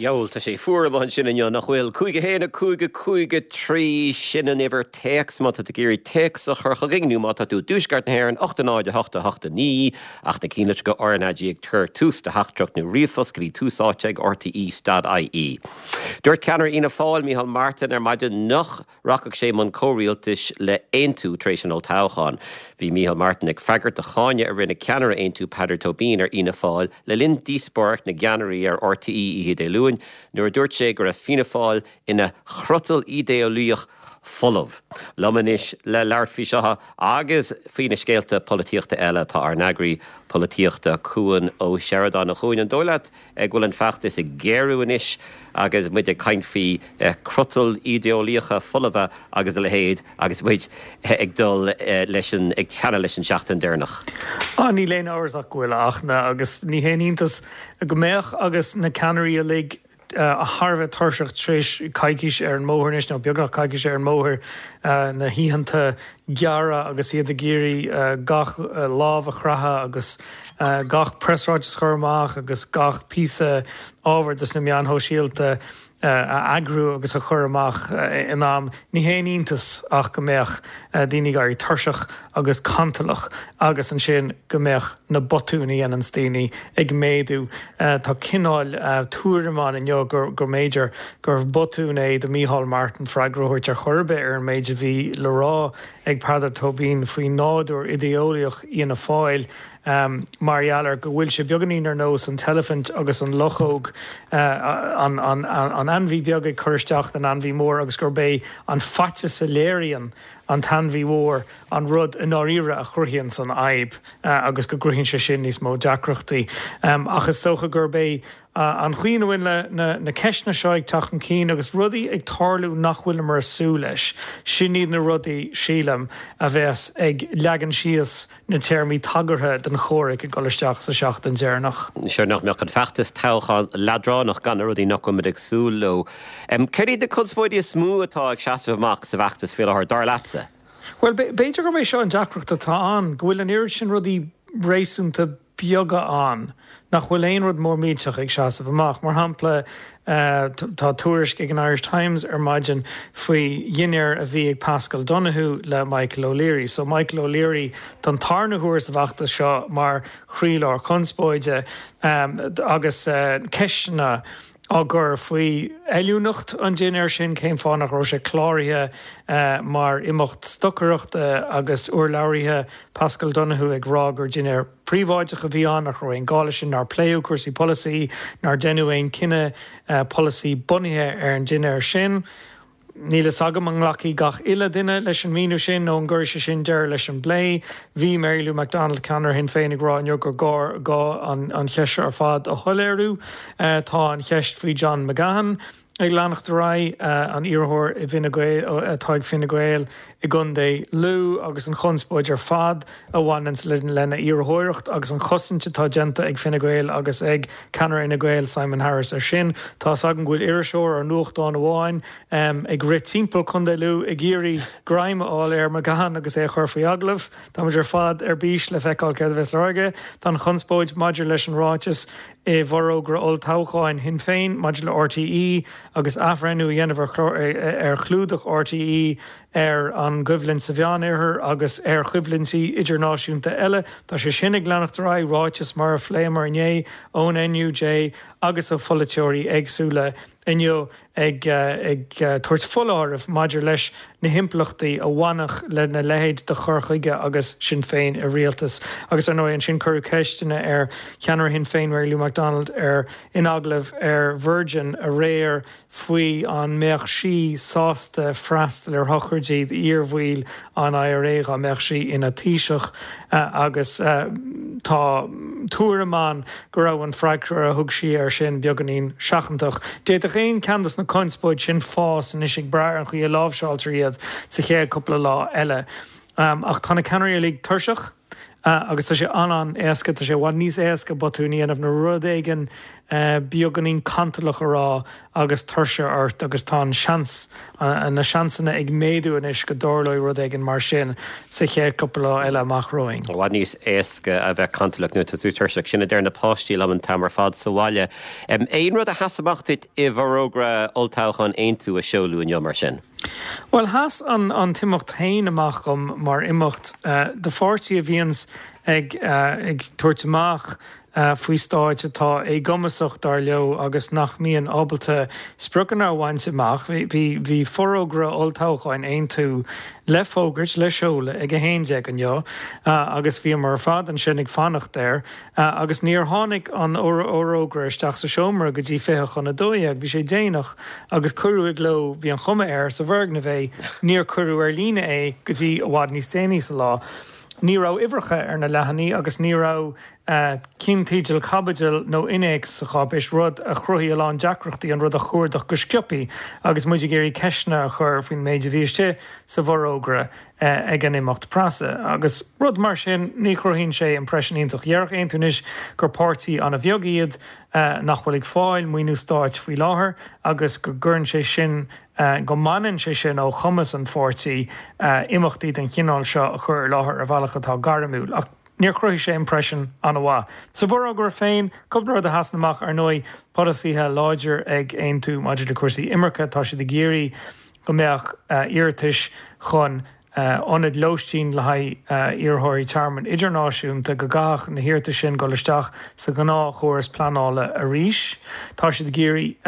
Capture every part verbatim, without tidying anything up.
Dheabhail, tá sé fuar amuigh ansin inniu, nach bhfuil? Cúig a haon, a cúig, a cúig, a trí, sin an uimhir téacs má tá tú ag iarraidh téacs a chur chugainn nó má tá tú i dtuaisceart na hÉireann, ocht a náid, a hocht, a hocht, a naoi, ach na cinnlitreacha R N A G ag tabhairt tús do theachtaireacht nó ríomhphost go dtí Tús Áite ag R T E dot I E. Dúirt ceannaire Fhianna Fáil, Micheál Martin, ar maidin nach rachadh sé i mbun comhrialtais le hAontú tar éis an olltoghcháin. Bhí Micheál Martin ag freagairt do cháineadh a rinne ceannaire Aontú Peadar Tóibín ar Fhianna Fáil le linn díospóireacht na gceannairí ar R T E oíche Dé Luain nuair a dúirt sé go raibh Fianna Fáil ina chrotal idéalaíoch folamh. Liom anois le labhairt faoi seo agus faoi na scéalta polaitíochta eile tá ár n-eagraí polaitíochta Cuan Ó Seireadáin. A Chuain, an dóigh leat go bhfuil an feachtas ag géarú anois agus muid ag caint faoi chrotail idéalaíocha folmha agus a leithéid agus muid ag dul leis an ag teannadh leis an seachtain deireanach? Á, níl aon amhras ach go bhfuil ach agus ní haon iontas go mbeadh agus na ceannairí uilig thar a bheith tuirseach tar éis coicís ar an mbóthar anois nó beagnach coicís ar an mbóthar, na hoícheanta gearra agus iad ag iarraidh gach lámh a chroitheadh agus gach preasráiteas a chur amach agus gach píosa ábhair dos na meáin shóisialta a eagrú agus a chur amach in am. Ní haon iontas ach go mbeadh daoine ag éirí tuirseach agus cantalach agus ansin go mbeadh na botúin a dhéananns daoine ag méadú. Tá cineál tuairim ann inniu gur go mb'fhéidir gurbh botún é do Micheál Martin freagra a thabhairt ar chor ar bith ar an méid a bhí le rá ag Peadar Tóibín faoi nádúr idéalaíoch Fhianna Fáil, um, mar gheall ar go bhfuil sé beagáinín ar nós an t-eilifint agus an luchóg, uh, an, an, an, an ainmhí beag ag cur isteach an ainmhí mór agus gurb é an faitíos a léiríonn an t-ainmhí mór an rud i ndáiríre a chruthaíonn an fhadhb uh, agus go gcruthaíonn sé sin níos mó deacrachtaí. Um, ach is dócha gurb é uh, an chaoi a bhfuil le na, na ceisteanna seo ag teacht chun cinn agus rudaí ag tarlú nach bhfuil mar súil leis. Sin iad na rudaí, sílim, a bheas ag leagan síos na téarmaí tagartha den chomhrac ag dul isteach sa seachtain deireanach. Sé nach mbeadh an feachtas toghcháin leadránach gan na rudaí nach bhfuil ag súil leo. Um, Céard iad na conspóidí is mó atá ag seasamh amach sa bhfeachtas faoi láthair, dar leatsa? Well, b'fhéidir gurb é seo an deacracht atá ann, go bhfuil an oiread sin rudaí réasúnta beaga ann nach bhfuil aon rud mór millteach ag seasamh amach. Mar shampla, uh, tá tuairisc ag an Irish Times ar maidin faoi dhinnéar a bhí ag Paschal Donohoe le Michael O'Leary. So Michael O'Leary don tarna huair sa bhfeachtas seo mar chroílár conspóide um, agus uh, ceisteanna á gcur faoi fheiliúnacht an dinnéir sin, cén fáth nach raibh sé cláraithe uh, mar imeacht stocaireachta, agus urlabhraithe Paschal Donohoe ag rá gur dinnéar príobháideach a bhí ann, nach raibh aon gá leis sin, nár pléadh cúrsaí polasaí, nár deineadh aon cinneadh uh, polasaí bunaithe ar an dinnéar sin. Níl a fhios agam an nglacfaidh gach uile duine leis an míniú sin nó an gcuirfidh sé sin deireadh leis an bplé. Bhí Mary Lou McDonald, ceannaire Shinn Féin, ag rá inniu gur gá gá an, an cheist ar fad a shoiléiriú. Uh, tá an cheist faoi John McGahon ag leanacht ar aghaidh, uh, an iarrthóir i bhFine Gael atá ag Fine Gael i gContae Lú, agus an chonspóid ar fad a bhaineann le lena iarrthóireacht agus an chosaint atá déanta ag Fine Gael agus ag ceannaire Fhine Gael Simon Harris ar sin. Tá agam go bhfuil iriseoir ar nuachtán amháin um, ag rith timpeall Contae Lú ag iarraidh greim a fháil ar McGahon agus é chur faoi agallamh. Tá ar fad ar bís le feiceáil céard a bheas le rá. Tá an chonspóid maidir leis an ráiteas i bhforógra olltoghcháin Shinn Féin maidir le R T E agus athbhreithniú a dhéanamh ar chlúdach R T E ar an gcoimhlint sa Mheánoirthear agus ar choimhlintí idirnáisiúnta eile. Tá sé sin ag leanacht ar aghaidh, ráiteas mar a phléamar inné ón N U J agus ó pholaiteoirí éagsúla inniu ag ag tabhairt foláireamh maidir leis na himpleachtaí a bhainfeadh lena leithéid de chur chuige agus Sinn Féin i rialtas. Agus ar ndóigh ansin cuireadh ceisteanna ar cheannaire Shinn Féin Mary Lou McDonald ar in agallamh ar Virgin aréir faoi an mbeadh sí sásta freastal ar shochraidí iarbhaill an I R A dá mbeadh sí ina Taoiseach, agus tá tuairim ann go raibh an freagra a thug sí ar sin beagáinín seachantach. D'fhéadfadh aon cheann de na conspóidí sin fás anois ag brath ar an chaoi a láimhseáiltear iad sa chéad cúpla lá eile. Um, ach tá na ceannairí uilig tuirseach Agus tá sé an-an-éasca, tá sé i bhfad níos éasca botún a dhéanamh nó rud éigin beagáinín cantalach a rá agus tuirse ort agus tá an seans, na seansanna ag méadú anois go dtarlóidh rud éigin mar sin sa chéad cúpla lá eile amach romhainn. I bhfad níos éasca a bheith cantalach nuair atá tú tuirseach, sin a deir na páistí liom an t-am ar fad sa bhaile. Aon rud a sheas amach duit i bhforógra olltoghcháin Aontú a seoladh inniu mar sin? Bhuel, sheas an an t-imeacht féin amach dom mar imeacht do pháirtí a bhíonns ag ag tabhairt amach faoi stáit atá éagumasach, dar leo, agus nach mbíonn ábalta spriocanna a bhaint amach. Bhí bhí forógra olltoghcháin Aontú le fógairt, le seoladh ag a haon déag inniu agus bhíomar ar fad ansin ag fanacht air agus níor tháinig an fhorógra isteach sa seomra go dtí fiche chun a dó dhéag. Bhí sé déanach agus cuireadh i gcló, bhí an chuma air, sa bhfoirgneamh é, níor cuireadh ar líne é go dtí i bhfad níos déanaí sa lá. Ní raibh uimhreacha ar na leathanaigh agus ní raibh cinnteidil, caibidil nó innéacs sa cháipéis, rud a chruthaigh a lán deacrachtaí an rud a chuardach go sciobtha agus muid ag iarraidh ceisteanna a chur faoin méid a bhí istigh sa bhforógra ag an imeacht preasa. Agus rud mar sin, ní chruthaíonn sé impression iontach. Déarfadh Aontú anois gur páirtí an-bheag iad nach bhfuil ag fáil maoiniú stáit faoi láthair agus go gcuireann sé sin, go mbaineann sé sin ó chumas an pháirtí imeachtaí den chineál seo a chur i láthair ar bhealach atá gairmiúil. Ach níor chruthaigh sé impression an-mhaith. Sa bhforógra féin, cúpla rud a sheasann amach, ar ndóigh, polasaithe láidir ag Aontú maidir le cúrsaí imirce, tá siad ag iarraidh go mbeadh iarratais chun ionaid lóistín le haghaidh iarrthóirí tearmainn idirnáisiúnta, go gcaithfeadh na hiarratais sin dul isteach sa ghnáthchóras pleanála arís. Tá siad ag iarraidh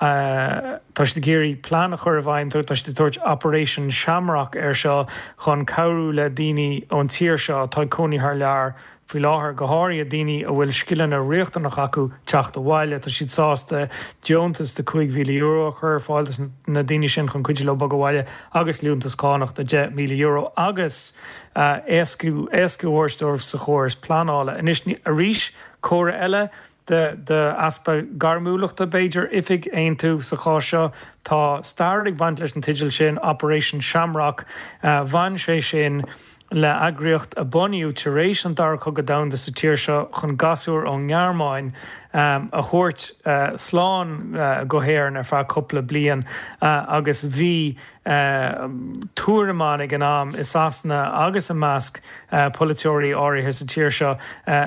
tá siad ag iarraidh plean a chur i bhfeidhm, tá siad ag tabhairt Operation Shamrock air seo chun cabhrú le daoine ón tír seo atá ag cónaí thar lear faoi láthair, go háirithe daoine a bhfuil scileanna riachtanacha acu teacht abhaile. Tá siad sásta deontas de cúig mhíle euro a chur ar fáil dos na daoine sin chun cuidiú leo bogadh abhaile agus liúntas cánach de deich míle euro agus éascú éascú a thabhairt dóibh sa chóras pleanála. Anois, arís, comhartha eile de d'easpa gairmiúlachta, b'fhéidir, oifig Aontú sa chás seo. Tá stair ag baint leis an teideal sin, Operation Shamrock. Bhain sé sin le heagraíocht a bunaíodh tar éis an Dara Cogadh Domhanda sa tír seo chun gasúir ón nGearmáin a thabhairt slán go hÉirinn ar feadh cúpla bliain agus bhí tuairim ann ag an am i Sasana agus i measc polaiteoirí áirithe sa tír seo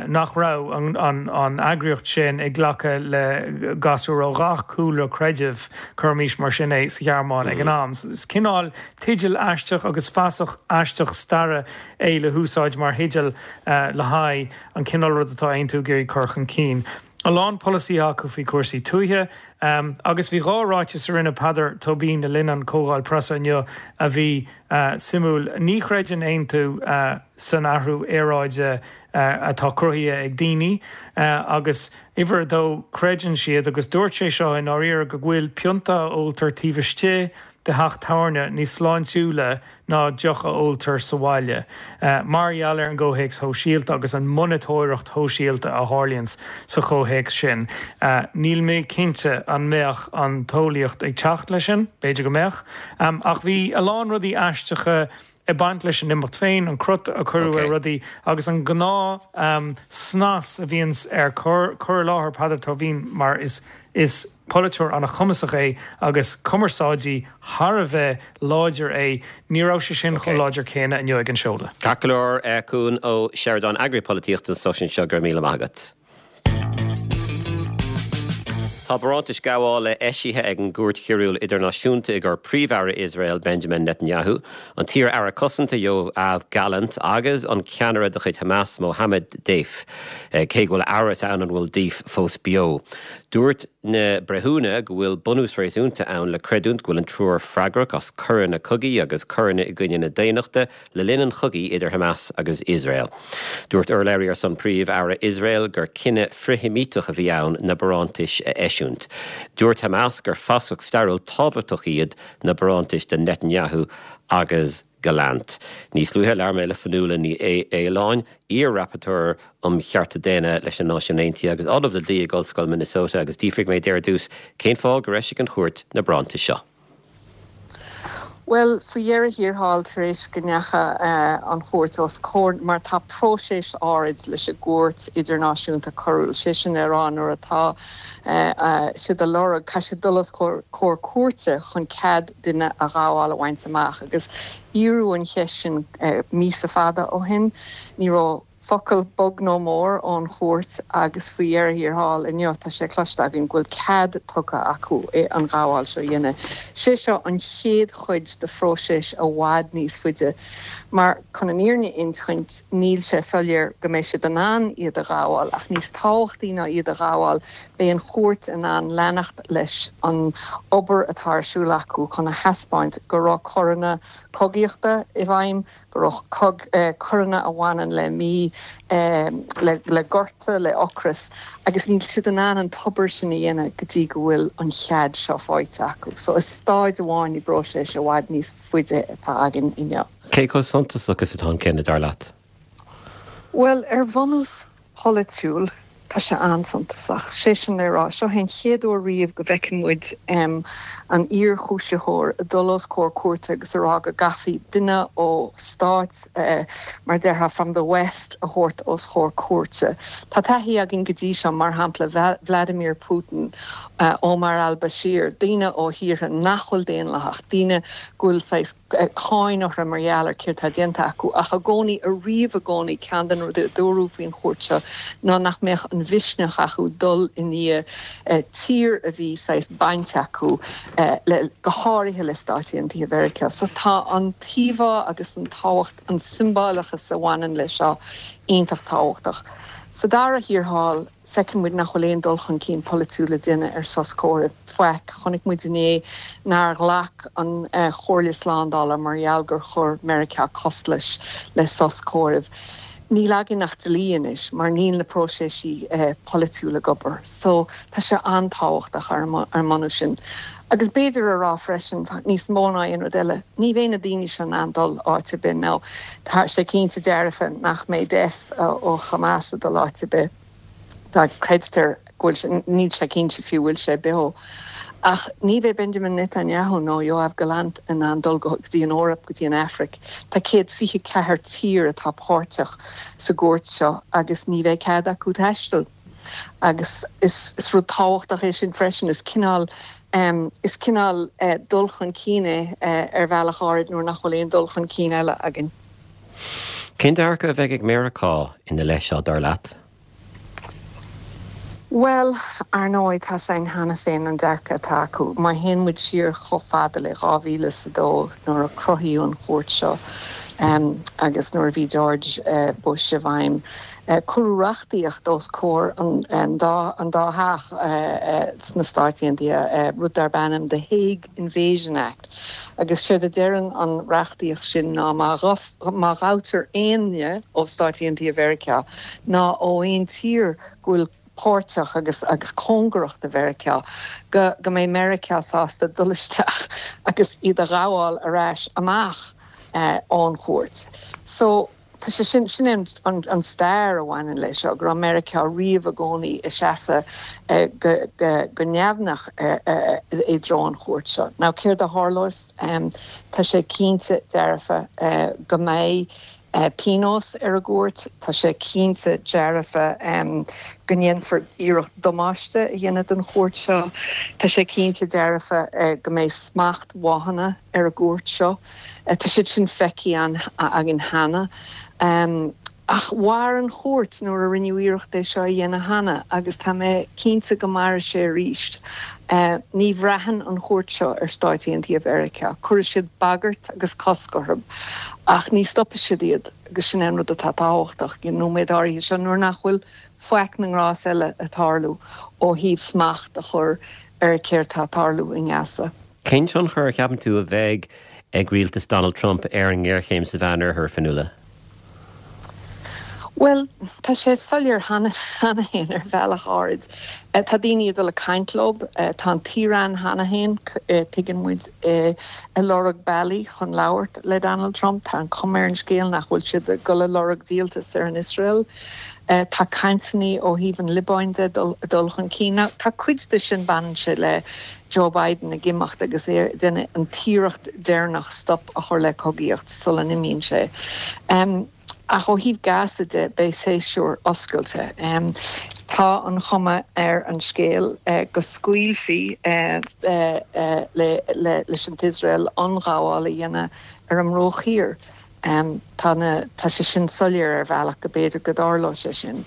nach raibh an eagraíocht sin ag glacadh le gasúir ó gach cúlra creidimh, cuirimis mar sin é, sa Ghearmáin ag an am. Is cineál teideal aisteach agus fasach aisteach staire é le húsáid mar theideal le haghaidh an cineál rud atá Aontú ag iarraidh cur chun cinn. A lán polasaithe acu faoi chúrsaí tuaithe agus bhí dhá ráiteas a rinne Peadar Tóibín le linn an chomhdháil preasa inniu a bhí suimiúil. Ní chreideann Aontú san athrú aeráide atá cruthaithe ag daoine agus uimhir a dó, creideann siad, agus dúirt sé seo i ndáiríre, go bhfuil pionta a óltar taobh istigh de theach tábhairne níos sláintiúla ná deoch a óltar sa bhaile, mar gheall ar an gcomhthéacs shóisialta agus an monatóireacht shóisialta a tharlaíonns sa chomhthéacs sin. Níl mé cinnte an mbeadh an t-eolaíocht ag teacht leis sin, b'fhéidir go mbeadh, ach bhí a lán rudaí aisteacha ag baint leis an imeacht féin, an crot a cuireadh ar rudaí agus an gnáth snas a bhíonns ar cur i láthair Peadar Tóibín mar is Is polaiteoir an-chumasach é agus cumarsáidí thar a bheith láidir é. Ní raibh sé sin chomh láidir céanna inniu ag an seoladh. Ceart go leor, Cuan Ó Seireadáin, Eagraí Polaitíochta an stáisiúin seo, go raibh míle maith agat. Tá barántais gabhála eisithe ag an gCúirt Choiriúil Idirnáisiúnta i gcomhair Príomh-Aire Iosrael Benjamin Netanyahu, an t-iar-aire cosanta Yoav Gallant agus an ceannaire de chuid Hamas Mohammed Deif, cé go bhfuil amhras ann an bhfuil Deif fós beo. Dúirt na breithiúna go bhfuil bunús réasúnta ann le creidiúint go bhfuil an triúr freagrach as coireanna cogaidh agus coireanna i gcoinne na daonnachta le linn an chogaidh idir Hamas agus Iosrael. Dúirt urlabhraí ar son Príomh-Aire Iosrael gur cinneadh frith-Sheimíteach a bhí ann na barántais a eisiúint. Dúirt Hamas gur fasach stairiúil tábhachtach iad na barántais do Netanyahu agus Gallant. Níos luaithe, labhair mé le Fionnuala Ní Aoláin, iar-Rapporteur um Chearta Daonna leis na Náisiúin Aontaithe agus Ollamh le Dlí ag Ollscoil Minnesota agus d'fhiafraigh mé di ar dtús cén fáth gur eisigh an chúirt na barántais seo. Bhuel, faoi dheireadh thiar thall, tar éis go ndeachaigh an chúirt os comhair, mar tá próiseas áirid leis an gCúirt Idirnáisiúnta Coiriúil, sé sin le rá nuair atá siad a lorg, caithfidh siad dul os comhair cúirte chun cead duine a ghabháil a bhaint amach. Agus iarradh an cheist sin míosa fada ó shin. Ní raibh focal beag nó mór ón chúirt agus faoi dheireadh thiar thall inniu tá sé cloiste againn go bhfuil cead tugtha acu an ghabháil seo a dhéanamh. Sé seo an chéad chuid de phróiseas i bhfad níos faide mar chun an fhírinne a insint níl sé soiléir go mbeidh siad in ann iad a ghabháil ach níos tábhachtaí ná iad a ghabháil beidh an chúirt in ann leanacht leis an obair atá ar siúl acu chun a thaispeáint go raibh coireanna cogaíochta i bhfeidhm, go raibh coireanna a bhaineann le mí, le gorta, le ocras agus níl siad in ann an tobair sin a dhéanamh go dtí go bhfuil an chead seo faighte acu. So is staid amháin i bpróiseas i bhfad níos faide atá againn inniu. Cé chomh suntasach is atá an cinneadh, dar leat? Bhuel, ar bhunús polaitiúil, tá sé an-suntasach. Sé sin le rá, seo é an chéad uair riamh go bhfeiceann muid an iar-chúisitheoir ag dul os comhair cúirte agus a rá go gcaithfí duine ó stáit, mar déarfá from the West, a thabhairt os comhair cúirte. Tá taithí againn go dtí seo, mar shampla Vladimir Putin, Omar al-Bashir, daoine ó thíortha nach bhfuil daonlathach, daoine go bhfuil saghas cáin orthu mar gheall ar céard tá déanta acu, ach i gcónaí, ariamh i gcónaí, ceann de na rudaí a dúradh faoin chúirt seo ná nach mbeadh an mhisneach acu dul i ndiaidh tír a bhí saghas baint acu le, go háirithe le Stáit Aontaithe Mheiriceá. So tá an t-íomhá agus an tábhacht, an siombalachas a bhaineann leis seo iontach tábhachtach. Sa dara thiar thall, feiceann muid nach bhfuil aon dul chun cinn polaitiúil le déanamh ar sos comhraicm. Faic. Chonaic muid inné nár ghlac an Chomhairle Slándála mar gheall gur chuir Meiriceá cosc leis le sos comhraicm. Níl againn ach dlí anois mar níl na próiseasí polaitiúla ag obair. So tá sé an-tábhachtach ar an mbunús sin. Agus b'fhéidir a rá freisin, níos mó ná aon rud eile, ní bheidh na daoine seo in ann dul áit ar bith now. Tá sé cinnte dearfa nach mbeidh Deif ó Hamas ag dul áit ar bith. Tá, creidtear go bhfuil sé, níl sé cinnte fiú bhfuil sé beo. Ach ní bheidh Benjamin Netanyahu nó Yoav Gallant in ann dul go dtí an Eoraip, go dtí an Afraic. Tá céad fiche ceathair tír atá páirteach sa gcúirt seo agus ní bheidh cead acu taisteal. Agus is is rud tábhachtach é sin freisin, is cineál is cineál dul chun cinn é ar bhealach áirid nuair nach bhfuil aon dul chun cinn eile againn. Cén dearcadh a bheidh ag Meiriceá ina leith seo, dar leat? Bhuel, ar ndóigh, tá 's againn cheana féin an dearcadh atá acu. Má théann muid siar chomh fada le dhá mhíle is a dó nuair a cruthaíodh an chúirt seo agus nuair a bhí George Bush i bhfeidhm, cuireadh reachtaíocht os comhair an dá an dá theach sna Stáit Aontaithe, rud darb ainm The Hague Invasion Act, agus séard a deireann an reachtaíocht sin ná má má ghabhtar éinne ó Stáit Aontaithe Mheiriceá ná ó aon tír go bhfuil páirteach agus agus cóngarach do Mheiriceá, go go mbeidh Meiriceá sásta dul isteach agus iad a ghabháil ar ais amach ón chúirt. So tá sé sin sin an an an stair a bhaineann leis seo, go raibh Meiriceá riamh i gcónaí ag seasamh go go go neamhneach i dtreo an chúirt seo. Now céard a tharlós? Tá sé cinnte dearfa go mbeidh pionós ar an gcúirt. Tá sé cinnte dearfa go ndéanfar iarracht damáiste a dhéanamh don chúirt seo. Tá sé cinnte dearfa go mbeidh smachtbhanna ar an gcúirt seo. Tá siad sin feicthe againn cheana. Ach mhair an chúirt nuair a rinneadh iarracht é seo a dhéanamh cheana agus tá mé cinnte go mairfidh sé arís. Ní bhraitheann an chúirt seo ar Stáit Aontaithe Mheiriceá. Cuirfidh siad bagairt agus cosc orthu ach ní stopfaidh siad iad agus sin é an rud atá tábhachtach ag an nóiméad áirithe seo nuair nach bhfuil faic na ngrás eile ag tarlú ó thaobh smacht a chur ar céard tá ag tarlú i nGaza. Cén tionchar a cheapann tú a bheidh ag rialtas Donald Trump ar an ngéarchéim sa Mheánoirthear, Fionnuala? Bhuel, tá sé soiléir cheana féin ar bhealach áirid. Tá daoine ag dul ag caint leo. Tá an tIaráin cheana féin, tuigeann muid, ag lorg bealaí chun labhairt le Donald Trump. Tá an chuma ar an scéal nach bhfuil siad ag dul ag lorg díoltas ar an Iosrael. Tá cainteanna ó thaobh an Liobáin de ag dul chun cinn. Now tá cuid de sin baineann sé le Joe Biden ag imeacht agus é ag déanamh an t-iarracht deireanach stop a chur le cogaíocht sula n-imíonn sé. Ach ó thaobh Gaza de beidh séasúr oscailte. Tá an chuma ar an scéal go scaoilfí leis an Iosrael ionghabháil a dhéanamh ar an mBruach Thiar. Tá na, tá sé sin soiléir ar bhealach go b'fhéidir go dtarlódh sé sin.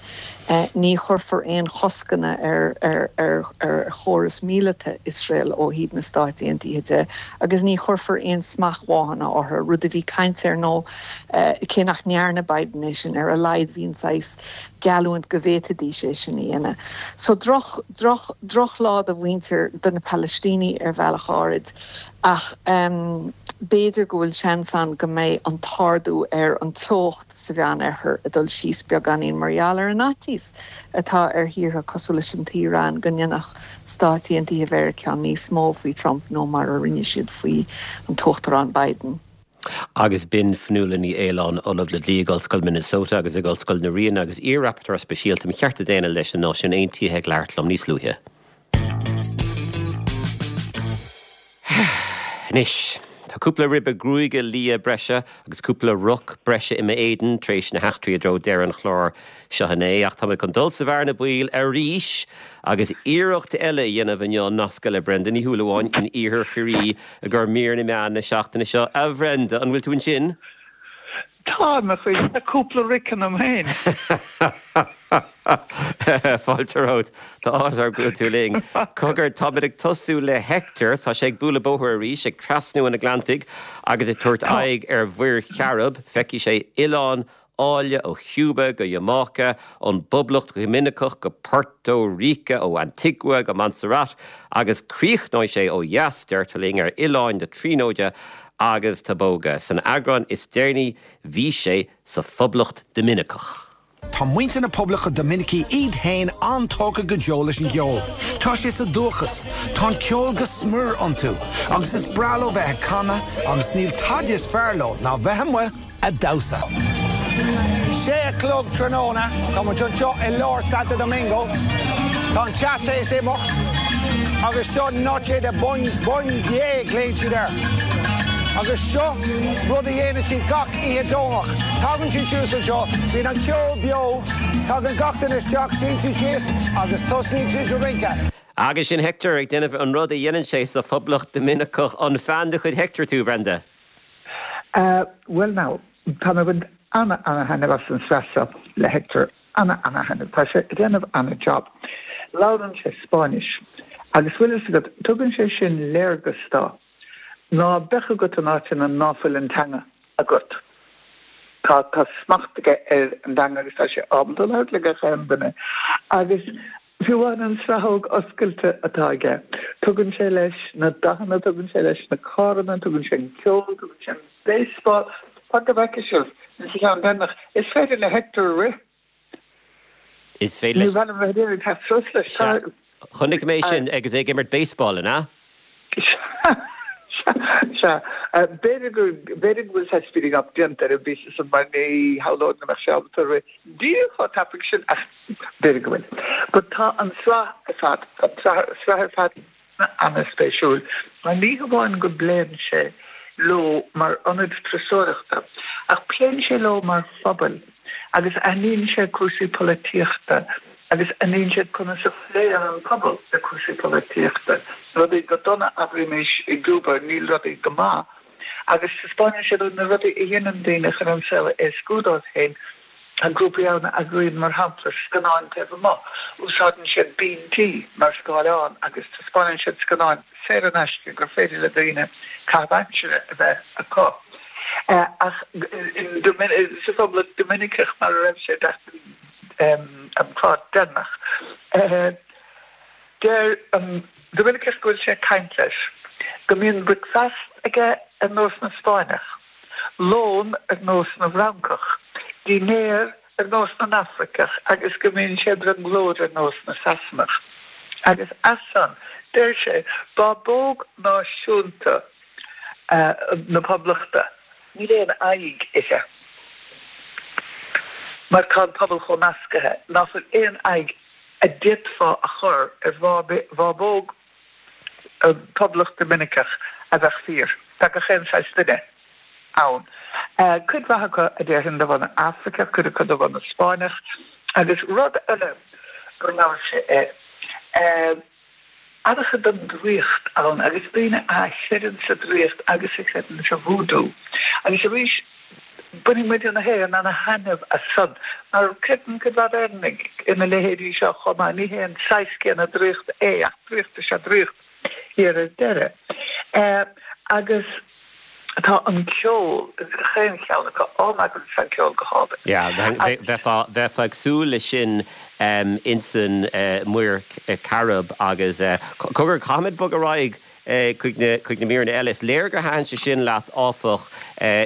Ní chuirfear aon choscanna ar ar ar ar chóras míleata Iosrael ó thaobh na Stáit Aontaithe de agus ní chuirfear aon smachtbhanna orthu, rud a bhí caint air nó cé nach ndearna Biden é sin ar a laghad bhí an saghas geallúint go bhféadfaidís é sin a dhéanamh. So droch, droch, drochlá do mhuintir do na Palaistínigh ar bhealach áirid ach b'fhéidir go bhfuil seans ann go mbeidh an t-ardú ar an teocht sa Mheánoirthear ag dul síos beagáinín mar gheall ar an fhaitíos atá ar thíortha cosúil leis an tIaráin go ndéanfadh Stáit Aontaithe Mheiriceá níos mó faoi Trump ná mar a rinne siad faoi an tUachtarán Biden. Agus b'in Fionnuala Ní Aoláin, Ollamh le Dlí ag Ollscoil Minnesota agus ag Ollscoil na Ríona agus iar-Rapporteur Speisialta um Chearta Daonna leis na Náisiúin Aontaithe ag labhairt liom níos luaithe. Anois, tá cúpla ribe gruaige liath breise agus cúpla roc breise i m'éadan tar éis na heachtraí i dtreo deireadh an chláir seo inné, ach tá mé chun dul sa bhearna baoil arís agus iarracht eile a dhéanamh inniu nascadh le Brenda Ní Shúilleabháin in iarthar Chiarraí i gcomhair mír na meán na seachtaine seo. A Bhrenda, an bhfuil tú ansin? Tá, a Chris, tá cúpla roic ionam féin. Fáilte romhat. Tá áthas orm go bhfuil tú linn. Cogar, táimid ag tosú le Hector. Tá sé ag bualadh bóthair arís, ag trasnú an Atlantaigh agus ag tabhairt aghaidh ar Mhuir Chairib. Feicfidh sé oileáin áille ó Chúba go Iamáice, ón bPoblacht Dhoiminiceach go Porto Ríce, ó Antigua go Montserrat agus críochnóidh sé ó dheas, deirtear linn, ar Oileáin na Tríonóide agus Tobago. San eagrán is deireanaí bhí sé sa Phoblacht Doiminiceach. Tá muintir na Poblachta Doiminicí iad féin an-tógtha go deo leis an gceol. Tá sé sa dúchas. Tá an ceol go smior iontu agus is breá leo bheith ag canadh agus níl tada is fearr leo ná bheith amuigh ag damhsa. Sé a chlog tráthnóna, tá muid anseo i lár Santo Domingo. Tá an teas théis imeacht agus seo Noche de Bondye, glaonn siad air. Agus seo rud a dhéanann siad gach oíche Domhnach. Tagann siad suas anseo, bíonn an ceol beo, tagann gach duine isteach, suíonn siad síos agus tosnaíonn siad ag rince. Agus sin Hector ag déanamh an rud a dhéanann sé sa Phoblacht Doiminiceach. An fan de chuid Hector tú, Brenda? Bhuel now, tá mé ag baint ana, ana thaitneamh as an sraith seo le Hector. Ana, ana thaitneamh. Tá sé ag déanamh ana job. Labhrann sé Spáinnis. Agus bhfuil fhios agat, tugann sé sin léargas dá ná beadh agat in áiteanna ná fuil an teanga agat. Tá, tá smacht aige ar an dteanga agus tá sé ábalta labhairt le gach aon duine. Agus fiú amháin an sraitheog oscailte atá aige, tugann sé leis na dathanna, tugann sé leis na carranna, tugann sé an ceol, tugann sé an baseball. Fan go bhfeice sibh sa cheann deireanach, is féidir le Hector rith. Is féidir leis. Ní bheidh mé ag iarraidh teacht suas leis. Sea. Chonaic mé sin agus é ag imirt baseball, an ea? Sea. Sea. B'fhéidir go, b'fhéidir go bhfuil saghas speeding up déanta ar an bpíosa san mar ní shamhlóinn go mbeadh sé ábalta rith díreach chomh tapaidh sin ach b'fhéidir go bhfuil. But tá an tsraith ar fad, tá an tsraith ar fad ana-spéisiúil mar ní hamháin go bpléann sé leo mar ionad turasóireachta ach pléann sé leo mar phobail agus aithníonn sé cúrsaí polaitíochta agus aithníonn sé conas a phléann an pobal le cúrsaí polaitíochta, rudaí go dona, abraimis, i gCúba, níl rudaí go maith, agus taispeánann sé dúinn na rudaí a dhéanann daoine chun an saol a éascú dóibh féin. Tá grúpaí ann a eagraíonn, mar shampla, scannáin taobh amuigh. Úsáideann siad binn tí mar scáileán agus taispeánann siad scannáin saor in aisce gur féidir le daoine caitheamh aimsire a bheith acu. Ach sa Phoblacht Doiminiceach, mar a raibh sé an clár deireanach, deir an Doiminiceach go bhfuil sé ag caint leis go mbíonn bricfeasta aige ar nós na Spáinneach. lón ar nós na bhFrancach, dinnéar ar nós na nAfraiceach agus go mbíonn sé i mbrionglóid ar nós na Sasanach. Agus as san, deir sé, bábóg náisiúnta na Poblachta, níl aon aghaidh uirthi. mar tá an pobal chomh meascaithe nach bhfuil aon aghaidh a d'fhéadfá a chur ar bhábóg Poblacht Doiminiceach a bheadh fíor. Tá gach aon saghas duine ann. Cuid mhaith acu a déarfainn de bhunadh Afraiceach, cuid acu de bhunadh Spáinneach agus rud eile gur labhair sé air, an-chuid den draíocht ann agus daoine a chreideann sa draíocht agus a chreideann sa vúdú. Agus arís, bainfidh muide na hÉireann ana-thaitneamh as san, mar creideann cuid mhaith d'Éireannaigh ina leithéidí seo chomh maith. Ní hé an saghas céanna draíochta é, ach draíocht is ea draíocht thiar ar deireadh. Agus tá an ceol ins gach aon cheann acu, oh my goodness, tá an ceol go hálainn. Yeah, bheifeá, bheifeá ag súil leis sin insan Muir Chairib agus cogar, caithfimid bogadh ar aghaidh chuig na, chuig na míreanna eile. Is léir gur thaitin sé sin leat áfach,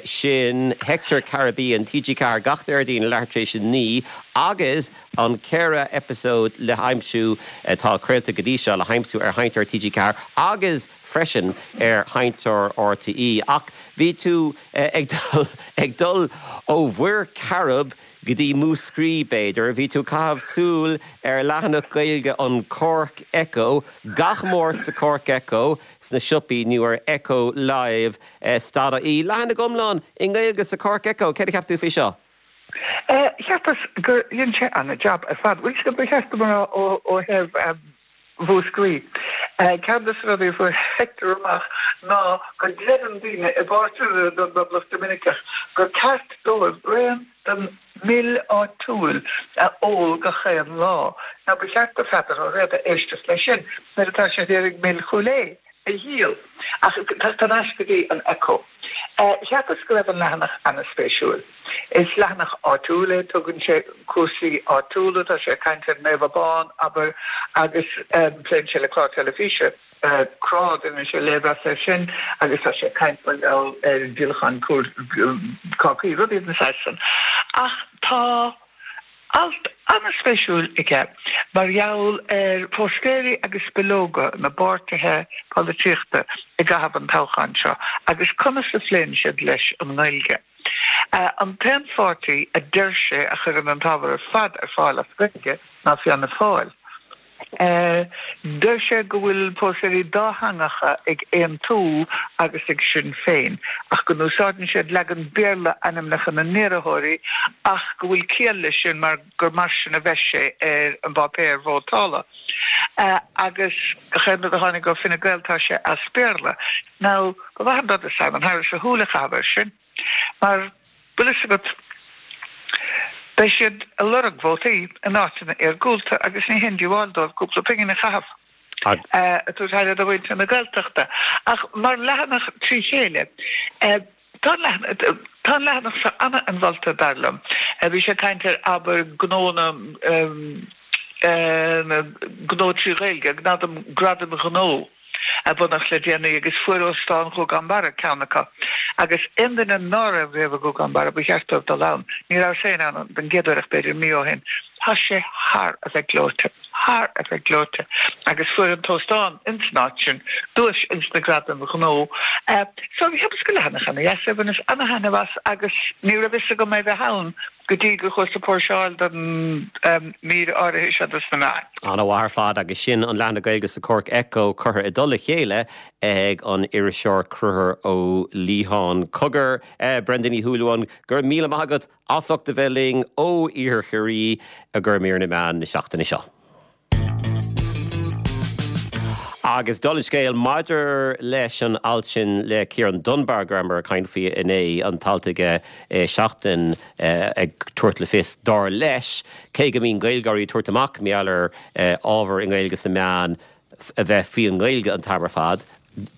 sin Hector Caribbean, TG Ceathair gach Déardaoin leathuair tar éis a naoi agus an ceithre eipeasóid le haimsiú atá craolta go dtí seo le haimsiú ar Sheinnteoir TG Ceathair agus freisin ar Sheinnteoir RTÉ. Ach bhí tú ag dul ag dul ó Mhuir Chairib go dtí Múscraí, b'fhéidir. Bhí tú ag caitheamh súil ar leathanach Gaeilge an Cork Echo gach Máirt sa Cork Echo sna siopaí nó ar Echo Live stad ie. Leathanach iomlán i nGaeilge sa Cork Echo. Céard a cheap tú faoi seo? Cheapas gur dhein sé ana-jab ar fad. Bhuel, ba cheart dom a rá ó thaobh Mhúscraí. Ceann de na rudaí a fuair Hector amach ná go gcreideann daoine i bpáirteanna den bPoblacht Doiminiceach gur ceart dóibh braon den mil áitiúil a ól gach aon lá. Now ba cheart do Pheadar Ó Riada éisteacht leis sin nuair atá sé ag iarraidh mil Chúil Aodha a dhíol. Ach thar n-ais go dtí an Echo. Cheapas go raibh an leathanach ana-spéisiúil. Is leathanach áitiúil é, tugann sé cúrsaí áitiúla, tá sé ag caint ar Naomh Abán, abair, agus pléann sé le clár teilifíse, Crá, déanann sé léirmheas air sin, agus tá sé ag caint mar gheall ar dhíolachán cácaí, rudaí den saghas san. Ach tá. Alt an-spéisiúil aige mar gheall ar phóstaeirí agus bileoga na bpáirtithe polaitíochta i gcaitheamh an toghcháin seo agus conas a phléann siad leis an nGaeilge. An t-aon pháirtí a deir sé a chuireann an t-ábhar ar fad ar fáil as Gaeilge ná Fianna Fáil. Deir sé go bhfuil póstaeirí dátheangacha ag Aontú agus ag Sinn Féin ach go n-úsáideann siad leagan Béarla ainmneacha na n-iarrthóirí ach go bhfuil ciall leis sin mar gur mar sin a bheas sé ar an bpáipéar vótála. Agus gach aon rud a tháinig ó Fine Gael tá sé as Béarla. Now, ba mhaith an rud do Simon Harris a shúil a chaitheamh air sin mar bhfuil fhios agat, Beidh siad ag lorg vótaí in áiteanna iargúlta agus ní haon díobháil dóibh cúpla pingin a chaitheamh ag tabhairt aire do mhuintir na Gaeltachta. Ach mar leathanach trí chéile, tá an leathanach seo ana-inmholta, dar liom. Bhí sé ag caint ar, abair, gnónna, gnó trí Ghaeilge, gradaim ghnó. a bunaíodh le déanaí agus fuair Óstán Ghuagán Barra ceann acu agus aon duine ná raibh riamh i nGuagán Barra ba cheart dóibh dul ann. Ní rabhas féin ann don gcéad uair ach b'fhéidir mí ó shin. Tá sé thar a bheith gleoite, thar a bheith gleoite agus fuair an t-óstán ins an áit sin duais ins na gradaim ghnó. So cheapas gur leathanach ana dheas é, bhaineas ana thaitneamh as agus ní raibh fhios agam é bheith ann go dtí gur chuas ag póirseáil don mír áirithe seo dos na meáin. Ana-mhaith ar fad agus sin an leathanach Gaeilge sa Cork Echo curtha i dtoll a chéile ag an iriseoir Conchúr Ó Liatháin. Cogar, Brenda Ní Shúilleabháin, go raibh míle maith agat as ucht a bheith linn ó Iarthar Chiarraí i gcomhair mír na meán na seachtaine seo. Agus dála an scéil maidir leis an alt sin le Ciarán Dunbar go rabhamar ag caint faoi inné, an t-alt aige i Seachtain ag tabhairt le fios, dar leis, cé go mbíonn Gaeilgeoirí ag tabhairt amach mar gheall ar ábhar i nGaeilge sna meáin a bheith faoin nGaeilge an t-am ar fad,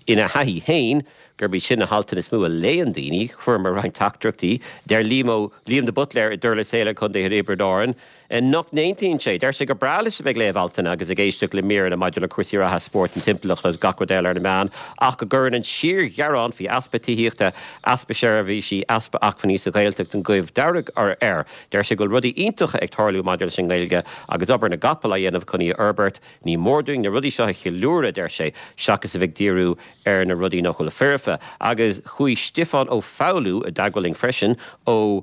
ina thaithí féin, gurb iad sin na haltanna is mó a léann daoine. Fuaireamar roinnt teachtaireachtaí. Deir Liam Ó Liam de Buitléir i dTurlas Éile, Contae Thiobraid Árann, nach n-aontaíonn sé. Deir sé gur breá leis a bheith ag léamh altanna agus ag éisteacht le míreanna maidir le cúrsaí reatha, spórt, an timpeallacht agus gach rud eile ar na meáin ach go gcuireann an síorghearán faoi easpa tithíochta, easpa seirbhísí, easpa acmhainní sa Ghaeltacht an goimh dearg air. Deir sé go bhfuil rudaí iontacha ag tarlú maidir leis an nGaeilge agus obair na gcapall á dhéanamh chun í a fhorbairt. Ní mór dúinn na rudaí seo a cheiliúradh, a deir sé, seachas a bheith ag díriú ar na rudaí nach bhfuil foirfe. Agus chuaigh Stiofán Ó Foghlú i dteagmháil linn freisin ó.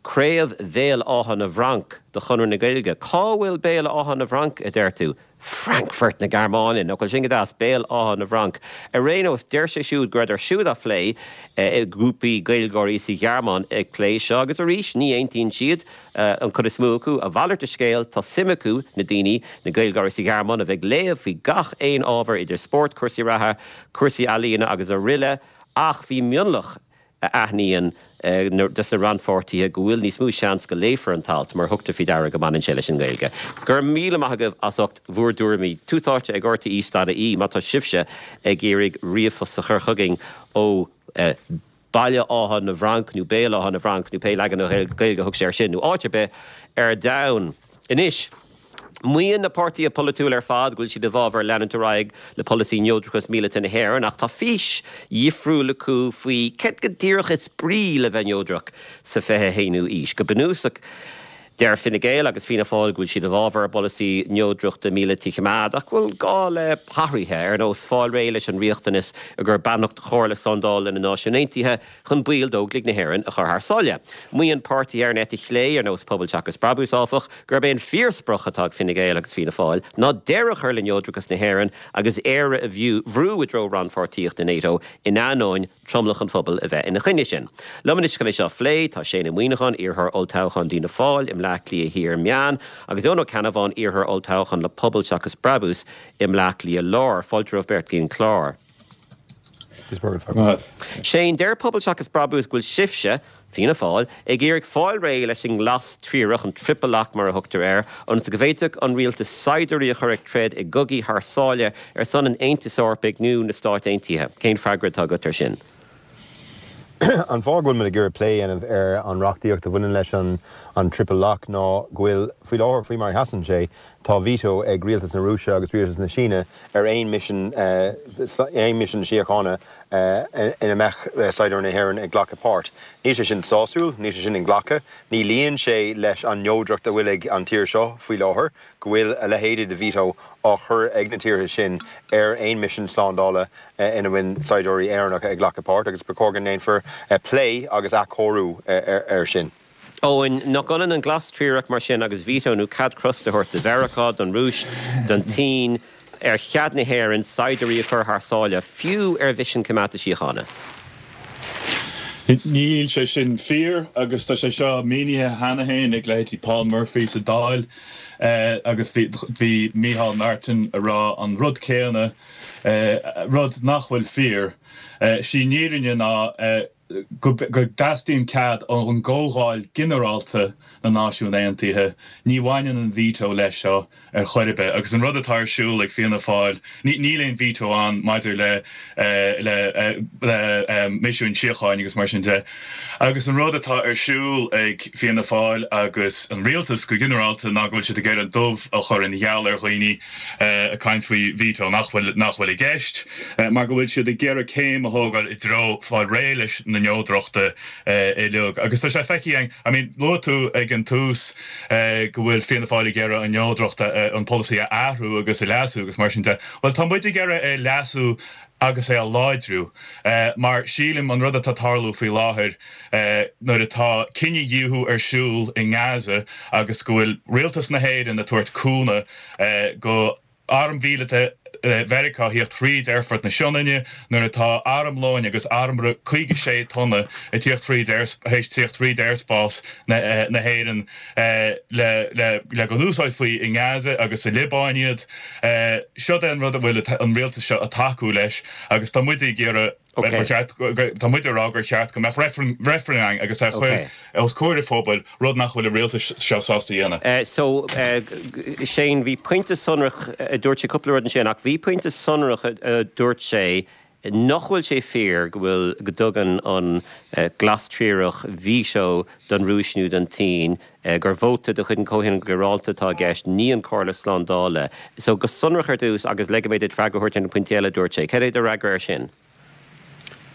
Craobh Bhéal Átha na bhFranc de Chonradh na Gaeilge. Cá bhfuil Béal Átha na bhFranc, a deir tú? Frankfurt na Gearmáine, nach bhfuil sin go deas, Béal Átha na bhFranc. Ar aon nós, deir sé siúd go rabhadar siúd á phlé, grúpaí Gaeilgeoirí sa Ghearmáin ag plé seo, agus arís, ní aontaíonn siad, an chuid is mó acu, a mhalairt de scéal, tá suim acu, na daoine, na Gaeilgeoirí sa Ghearmáin, a bheith ag léamh faoi gach aon ábhar, idir spórt, cúrsaí reatha, cúrsaí ealaíona agus aroile, ach bhí mionlach a aithníonn dos na rannpháirtithe go bhfuil níos mó seans go léifear an t-alt mar thugtar faoi deara go mbaineann sé leis an nGaeilge. Go raibh míle maith agaibh as ucht bhur dtuairimí. Tús Áite ag RTE dot ie má tá sibhse ag iarraidh ríomhphost a chur chugainn ó Baile Átha na bhFranc nó Béal Átha na bhFranc nó pé leagan Gaeilge a thug sé air sin nó áit ar bith ar domhan. Anois. Maíonn na páirtithe polaitiúla ar fad go bhfuil siad i bhfabhar leanúint ar aghaidh le polasaí neodrachas míleata na hÉireann ach tá fís dhifriúil acu faoi céard go díreach is brí le bheith neodrach sa fiche haonú aois. Go bunúsach, deir Fine Gael agus Fianna Fáil go bhfuil siad i bhfabhar a bpolasaí neodrachta míleata a choimeád ach go bhfuil gá le hathruithe, ar nós fáil réidh leis an riachtanas i gcomhair beannacht Chomhairle Slándála na Náisiún Aontaithe chun baill d'Óglaigh na hÉireann a chur thar sáile. Maíonn páirtithe ar an eite chlé, ar nós Pobal Seachas Brabús, áfach, gurb é an fíorsprioc atá ag Fine Gael agus Fianna Fáil ná deireadh a chur le neodrachas na hÉireann agus Éire a bhrú i dtreo rannpháirtíocht i NATO in ainneoin tromlach an phobail a bheith ina choinne sin. Liom anois chun é seo a phlé, tá Shane Ó Muíneacháin, iarrthóir olltoghcháin d'Fhianna Fáil i mBleá Cliath Thiar Meán, agus Eoin Ó Ceannabháin, iarrthóir olltoghcháin le Pobal Seachas Brabús i mBleá Cliath Lár. Fáilte romhaibh beirt go dtí an clár. Shane, deir Pobal Seachas Brabús go bhfuil sibhse, Fianna Fáil, ag iarraidh fáil réidh leis an nglas triarach, an triple lock mar a thugtar air, ionas go bhféadfadh an rialtas saighdiúirí a chur ag troid i gcogaí thar sáile ar son an Aontais Eorpaigh nó na Stáit Aontaithe. Cén freagra atá agat air sin? An fáth go bhfuil muid ag iarraidh plé a dhéanamh ar an reachtaíocht a bhaineann leis an triple lock ná go bhfuil, faoi láthair, faoi mar a sheasann sé, tá veto ag rialtas na Rúise agus rialtas na Síne ar aon misean, aon misean síochána ina mbeadh saighdiúirí na hÉireann ag glacadh páirt. Níl sé sin sásúil, níl sé sin inghlactha, ní luíonn sé leis an neodracht a bhfuil ag an tír seo faoi láthair, go bhfuil a leithéid de veto á chur ag na tíortha sin ar aon misean slándála ina bhfuil saighdiúirí Éireannacha ag glacadh páirt agus ba chóir go ndéanfar plé agus athchóiriú air sin. Eoin, nach ionann an glas triarach mar sin agus veto nó cead crosta a thabhairt do Mheiriceá, don Rúis, don tSín ar chead na hÉireann saighdiúirí a chur thar sáile, fiú ar mhisin coimeádta síochána? Níl sé sin fíor agus tá sé seo mínithe cheana féin ag leithéidí Paul Murphy sa Dáil agus bhí Micheál Martin ag rá an rud céanna, rud nach bhfuil fíor. Sí an fhírinne ná go dteastaíonn cead ón gComhdháil Ghinearálta na Náisiún Aontaithe, ní bhaineann an veto leis seo ar chor ar bith. Agus an rud atá ar siúl ag Fianna Fáil, níl aon veto ann maidir le le le misiúin síocháin agus mar sin de. Agus an rud atá ar siúl ag Fianna Fáil agus an rialtas go ginearálta ná go bhfuil siad ag iarraidh an dubh a chur ina gheal ar dhaoine ag caint faoi veto nach bhfuil nach bhfuil i gceist, mar go bhfuil siad ag iarraidh céim a thógáil i dtreo fáil réidh leis na neodrachta uilig. Agus tá sé feicthe againn, I mean, luaigh tú ag an tús go bhfuil Fianna Fáil ag iarraidh an neodracht, an polasaí a athrú agus a leasú agus mar sin de. Bhuel, tá muid ag iarraidh é a leasú agus é a láidriú mar sílim an rud atá ag tarlú faoi láthair nuair atá cinedhíothú ar siúl i nGaza agus go bhfuil rialtas na hÉireann ag tabhairt cúnamh go Arm Mhíleata Mheiriceá a thíocht thríd Aerfort na Sionainne nuair atá armlóin agus armra caoga sé tonna ag tíocht thríd théis tíocht thríd aerspás na hÉireann le le go n-úsáidfí i nGaza agus sa Liobáin iad. Seo é an rud a bhfuil an rialtas seo ag tacú leis agus tá muid ag iarraidh Ba cheart, tá muid ag rá gur cheart go mbeadh reifreann ann agus é a chur os comhair an phobail, rud nach bhfuil an rialtas seo sásta a dhéanamh. So, Shane, bhí pointe sonrach, dúirt sé cúpla rud ansin, ach bhí pointe sonrach a dúirt sé nach bhfuil sé fíor go bhfuil, go dtugann an glas triarach veto don Rúis nó don tSín, gur vóta de chuid an Chomhthionóil Ghinearálta atá i gceist, ní an Chomhairle Slándála. So, go sonrach ar dtús, agus ligfidh mé duit freagra a thabhairt ar na pointí eile a dúirt sé, cad é do fhreagra air sin?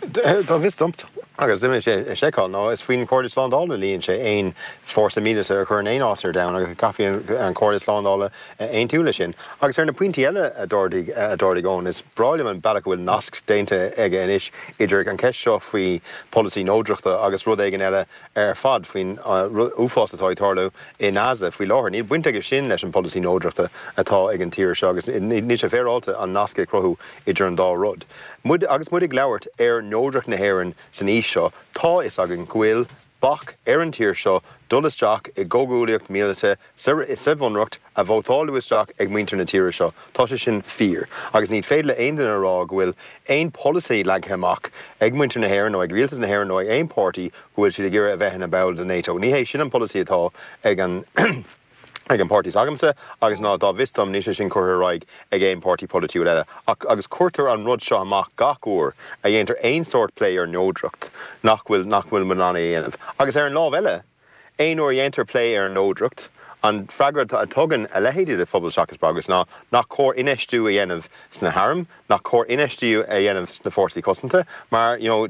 Dá bhfios dom, agus d'imigh sé a sheiceáil, ná is faoin Chomhairle Slándála a luíonn sé aon fórsa míleata a chur in aon áit ar domhan agus caithfidh an Chomhairle Slándála aontú leis sin. Agus ar na pointí eile a d'ardaigh a d'ardaigh Eoin, is breá liom an bealach a bhfuil nasc déanta aige anois idir an cheist seo faoi pholasaí neodrachta agus rud éigin eile ar fad faoin uafás atá ag tarlú i nGaza faoi láthair. Níl baint aige sin leis an bpolasaí neodrachta atá ag an tír seo agus níl sé féaráilte an nasc a chruthú idir an dá rud. Muid, agus muid ag labhairt ar neodracht na hÉireann san aois seo, tá fhios againn go bhfuil bac ar an tír seo dul isteach i gcomhghuaillíocht mhíleata sa sa bhunreacht a vótáladh isteach ag muintir na tíre seo. Tá sé sin fíor. Agus ní féidir le aon duine a rá go bhfuil aon polasaí leagtha amach ag muintir na hÉireann nó ag rialtas na hÉireann nó ag aon páirtí go bhfuil siad ag iarraidh a bheith ina ball de NATO. Ní hé sin an polasaí atá ag an ag an páirtí s'agamsa agus ná dá bhfios dom níl sé sin curtha ar aghaidh ag aon páirtí polaitiúil eile. Ach agus cuirtear an rud seo amach gach uair a dhéantar aon sórt plé ar neodracht nach bhfuil nach bhfuil muid in ann é a dhéanamh. Agus ar an lámh eile, aon uair a dhéantar plé ar an neodracht, an freagra a tugann a leithéidí de Phobal Seachas Bagairt ná nach cóir infheistiú a dhéanamh sna hairm, nach cóir infheistiú a dhéanamh sna fórsaí cosanta, mar you know,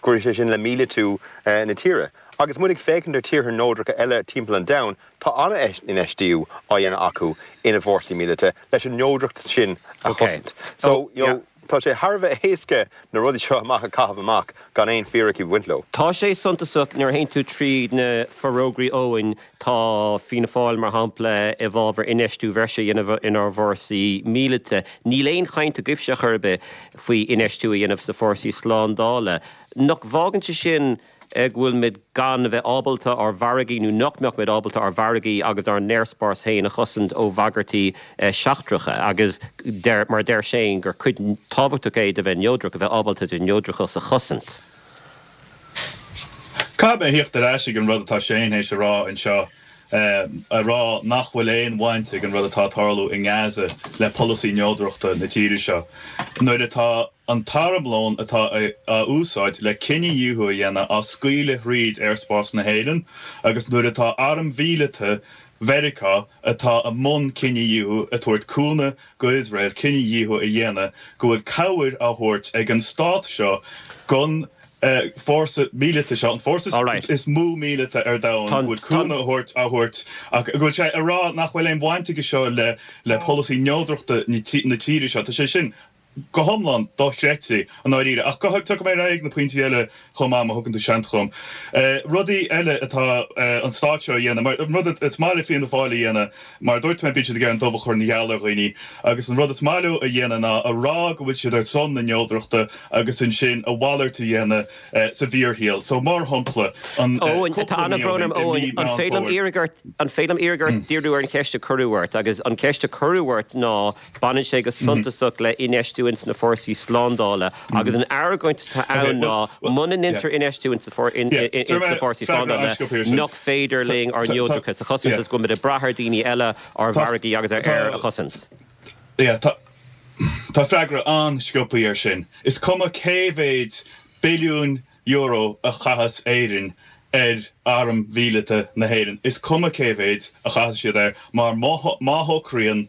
cuirfidh sé sin le míleatú na tíre. Agus muid ag féachaint ar tíortha neodracha eile timpeall an domhain, tá an-infheistiú á dhéanamh acu ina bhfórsaí míleata leis an neodracht sin a chosaint. So, you know, tá sé thar a bheith éasca na rudaí seo amach a chaitheamh amach gan aon fíricí a bhaint leo. Tá sé suntasach nuair a théann tú tríd na forógraí Eoin, tá Fianna Fáil mar shampla i bhfabhar infheistiú bhreise a dhéanamh inár bhfórsaí míleata. Níl aon chaint agaibhse chor ar bith faoi infheistiú a dhéanamh sna fórsaí slándála. Nach bhfágann sé sin go bhfuil muid gan a bheith ábalta ár bhfarraigí nó nach mbeadh muid ábalta ár bhfarraigí agus ár n-aerspás féin a chosaint ó bhagairtí seachtracha agus deir, mar deir Shane gur cuid tábhachtach é de bheith neodrach a bheith ábalta do neodrachas a chosaint. Caithfidh mé theacht ar ais ag an rud atá Shane théis a rá anseo, a rá nach bhfuil aon bhaint ag an rud atá ag tarlú i nGaza le polasaí neodrachta na tíre seo. Nuair atá an t-armlón atá á úsáid le cinedhíothú a dhéanamh á scaoileadh thríd aerspás na hÉireann agus nuair atá arm mhíleata Mheiriceá atá i mbun cinedhíothú ag tabhairt cúnamh go Iosrael cinedhíothú a dhéanamh go bhfuil cabhair á thabhairt ag an stát seo gon fórsa míleata seo, an fórsa is mó míleata ar domhan, go bhfuil cúnamh a thabhairt á thabhairt ach go bhfuil sé ag rá nach bhfuil aon bhaint aige seo le le polasaí neodrachta na tíre seo. Tá sé sin go hiomlán dochreidte i ndáiríre. Ach go tiocfaidh mé ar aghaidh ag na pointí eile chomh maith má thugann tú seans dhom. Rudaí eile atá an stát seo a dhéanamh, mar an rud is maith le Fianna Fáil a dhéanamh, mar a dúirt mé, bíonn siad ag iarraidh an dubh a chur ina gheal ar dhaoine, agus an rud is maith leo a dhéanamh ná a rá go bhfuil siad ar son na neodrachta agus ansin a mhalairt a dhéanamh sa bhfíorshaol. So mar shampla, an Eoin, tá cúpla mí ó an-bhrón shin, orm, i Eoin, mí an Meán féidir liom Fómhair, iarraidh ort, an féidir liom iarraidh ort díriú ar an cheist a cuireadh ort, agus an cheist a cuireadh ort ná, Baineann sé go suntasach le infheistiú ins na fórsaí slándála agus an argóint atá ann ná muna ndéantar infheistiú ins na fórsaí slándála nach féidir linn ár neodrachas a chosaint agus go bhfuil muid ag brath ar daoine eile ár bhfarraigí agus ár aer a chosaint. Tá freagra an-sciobtha air sin. Is cuma cé mhéid billiún euro a chaitheas Éirinn ar arm mhíleata na hÉireann. Is cuma cé mhéid a chaitheas siad air, mar má shocraíonn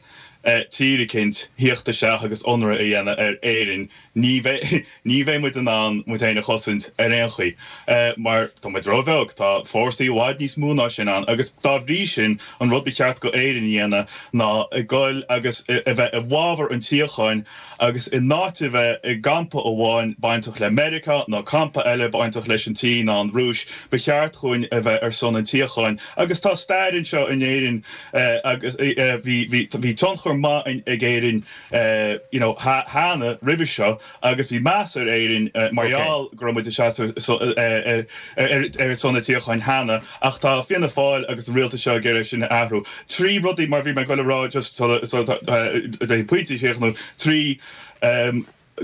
tír eicínt thíocht isteach agus ionradh a dhéanamh ar Éirinn, ní bheidh ní bheidh muid in ann muid féin a chosaint ar aon chaoi, mar tá muid róbheag, tá fórsaí i bhfad níos mó ná sin ann, agus dá bhrí sin, an rud ba cheart go Éirinn a dhéanamh ná a ghoil agus a bheith i bhfabhar an tsíocháin, Agus in áit a bheith i gcampa amháin bainteach le Meiriceá nó campa eile bainteach leis an tSín ná an Rúis, ba cheart dhúinn a bheith ar son an tsíocháin. Agus tá stair anseo in Éirinn agus bhí bhí bhí tionchar maith ag Éirinn you know cheana roimhe seo agus bhí meas ar Éirinn mar gheall go raibh muid ag seasamh ar son an tsíocháin cheana. Ach tá Fianna Fáil agus an rialtas seo ag iarraidh sin a athrú. Trí rudaí mar bhí mé ag goil a rá just sula pointe a chríochnú, trí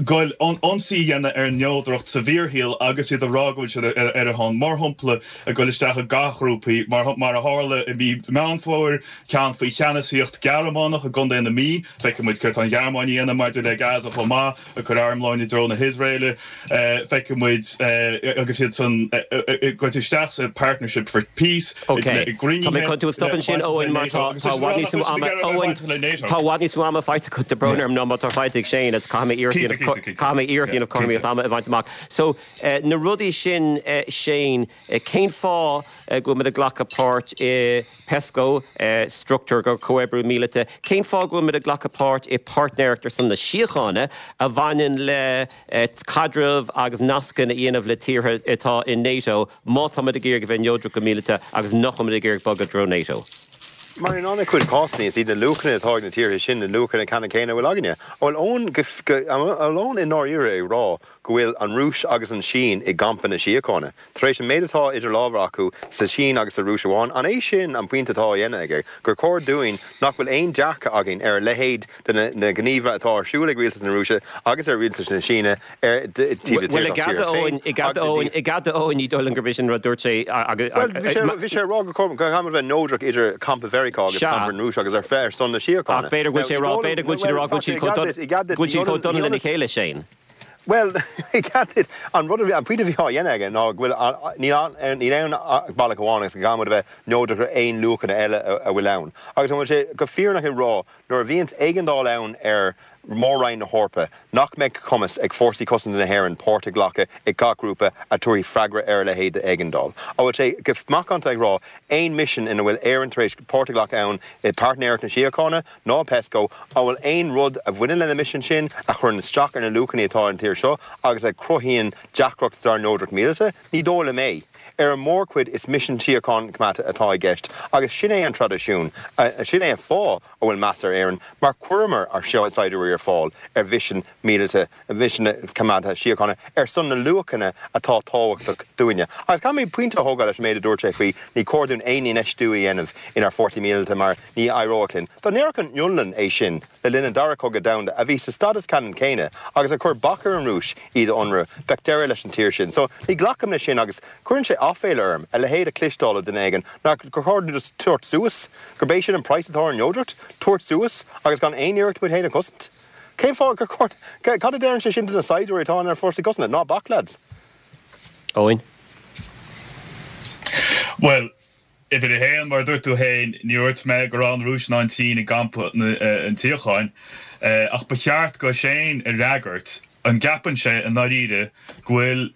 goil ionsaí a dhéanamh ar an neodracht sa bhfíorshaol agus iad a rá go bhfuil siad ar a shon, mar shampla ag goil isteach i gcathghrúpaí, mar a tharla i mí Meán Fómhair, ceann faoi cheannasaíocht Gearmánach i gContae na Mí, feicfidh muid céard tá an Ghearmáin a dhéanamh maidir le Gaza chomh maith. ag cur armlóin i dtreo na hIosraeile. Feicfidh muid agus iad san ag goil isteach sa Partnership for Peace, Ok. i Tá gcruinnithe mé chun tú a stop ansin, bainteach le Eoin, mar NATO tá agus tá i bhfad níos mó ama Eoin, bainteach le NATO. tá i bhfad níos mó ama faighte agat, tá brón orm ná má tá faighte ag Shane, agus caithfidh mé iarracht a Cinnte, dhéanamh Caithfidh mé iarracht a dhéanamh cothromaíocht ama a bhaint amach. So na rudaí sin Shane, cén fáth go bhfuil muid ag glacadh páirt i PESCO, struchtúr do chomhoibriú míleata, cén fáth go bhfuil muid ag glacadh páirt i Páirtnéireacht ar son na Síochána a bhaineann le caidreamh agus nascanna a dhéanamh le tíortha atá i NATO má tá muid ag iarraidh a bheith neodrach go míleata agus nach bhfuil muid ag iarraidh bogadh i dtreo NATO? Mar in an-chuid cásanna, is iad na luachanna atá ag na tíortha sin na luachanna ceannann céanna a bhfuil againne. An bhfuil Eoin go, an bhfuil Eoin i ndáiríre ag rá go bhfuil an Rúis agus an tSín i gcampa na síochána? Tar éis an méid atá idir lámha acu sa tSín agus sa Rúis amháin, an é sin an pointe atá á dhéanamh aige, gur chóir dúinn nach bhfuil aon dearcadh againn ar a leithéid de na gníomha atá ar siúl ag rialtas na Rúise agus ar rialtas na Síne ar taobh Bhuel, i gcead Eoin, i gcead Eoin, i gcead Eoin, ní dóigh liom gurb é sin an rud a dúirt sé agus. Bhuel, bhí sé, bhí sé ag rá go gcaithfidh muid a bheith neodrach idir campa Mheiriceá agus campa na Rúise agus ar ar son na síochána. Ach b'fhéidir go bhfuil sé ag rá, b'fhéidir go bhfuil siad ag rá go bhfuil siad chomh dona, go bhfuil siad chomh dona lena chéile, Shane. Bhuel, i gcead duit, an rud a bhí, an pointe a bhí á dhéanamh aige ná go bhfuil, níl ann, níl aon bealach amháin agus go gcaithfidh muid a bheith neodrach ar aon luachanna eile a bhfuil ann. Agus an bhfuil sé go fírinneach ag rá nuair a bhíonns éigeandáil ann ar Mhór-Roinn na hEorpa, nach mbeidh cumas ag Fórsaí Cosanta na hÉireann páirt a ghlacadh i gach grúpa a tabharfaidh freagra ar a leithéid d'éigeandáil? An bhfuil sé go macánta ag rá aon misean ina bhfuil Éirinn tar éis páirt a ghlacadh ann i Páirtnéireacht na Síochána ná Pesco, an bhfuil aon rud a bhaineann le na misin sin a chuireann isteach ar na luachanna atá ar an tír seo agus a chruthaíonn deacracht dár neodracht míleata? Ní dóigh liom é. Ar an mórchuid is misin síocháin coimeádta atá i gceist agus sin é an traidisiún, sin é an fáth a bhfuil meas ar Éirinn mar chuireamar ár saighdiúirí ar fáil ar mhisin míleata, misin coimeádta síochána ar son na luachanna atá tábhachtach dúinne. Agus caithfidh mé pointe a thógáil leis an méid a dúirt sé faoi ní cóir dúinn aon infheistiú a dhéanamh inár bhfórsaí míleata mar ní éireoidh linn. Dá ndéarfadh an Fhionlainn é sin le linn an Dara Cogadh Domhanda, a bhí sa stádas ceannann céanna agus a chuir bac ar an Rúis iad a ionradh, bheadh deireadh leis an tír sin. So, ní ghlacaim leis sin agus cuireann sé aiféala orm a leithéid a chloisteáil ó duine éigin nach gur chóir dúinn just tabhairt suas, gurb é sin an praghas atá ar an neodracht, tabhairt suas agus gan aon iarracht muid féin a chosaint. Cén fáth gur chóir, cad a deireann sé sin do na saighdiúirí atá inár bhfórsaí cosanta? Ná bac, lads. Eoin. Bhuel, uimhir a haon, mar a dúirt tú féin, ní dúirt mé go raibh an Rúis ná an tSín i gcampa an tsíocháin, ach ba cheart do Shane a fhreagairt, an gceapann sé i ndáiríre go bhfuil